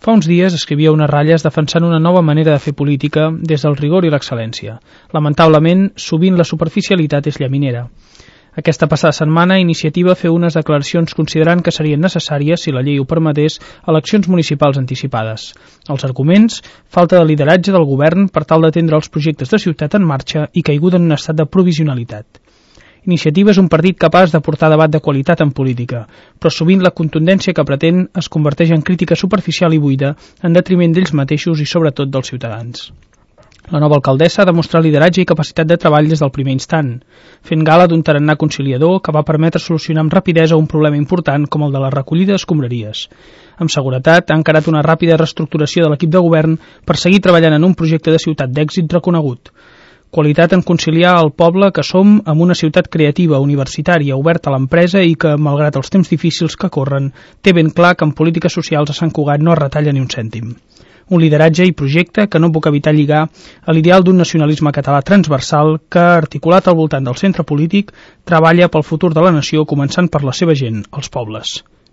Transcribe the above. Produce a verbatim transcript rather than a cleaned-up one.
Fa uns dies escrivia unes ratlles defensant una nova manera de fer política des del rigor i l'excel·lència. Lamentablement, sovint la superficialitat és llaminera. Aquesta passada setmana, Iniciativa feu unes declaracions considerant que serien necessàries, si la llei ho permetés, eleccions municipals anticipades. Els arguments: falta de lideratge del govern per tal d'atendre els projectes de ciutat en marxa i caiguda en un estat de provisionalitat. Iniciativa és un partit capaç de portar debat de qualitat en política, però sovint la contundència que pretén es converteix en crítica superficial i buida en detriment d'ells mateixos i sobretot dels ciutadans. La nova alcaldessa ha demostrat lideratge i capacitat de treball des del primer instant, fent gala d'un tarannà conciliador que va permetre solucionar amb rapidesa un problema important com el de la recollida d'escombraries. Amb seguretat ha encarat una ràpida reestructuració de l'equip de govern per seguir treballant en un projecte de ciutat d'èxit reconegut. Qualitat en conciliar el poble que som amb una ciutat creativa, universitària, oberta a l'empresa i que, malgrat els temps difícils que corren, té ben clar que en polítiques socials a Sant Cugat no es retalla ni un cèntim. Un lideratge i projecte que no puc evitar lligar a l'ideal d'un nacionalisme català transversal que, articulat al voltant del centre polític, treballa pel futur de la nació començant per la seva gent, els pobles.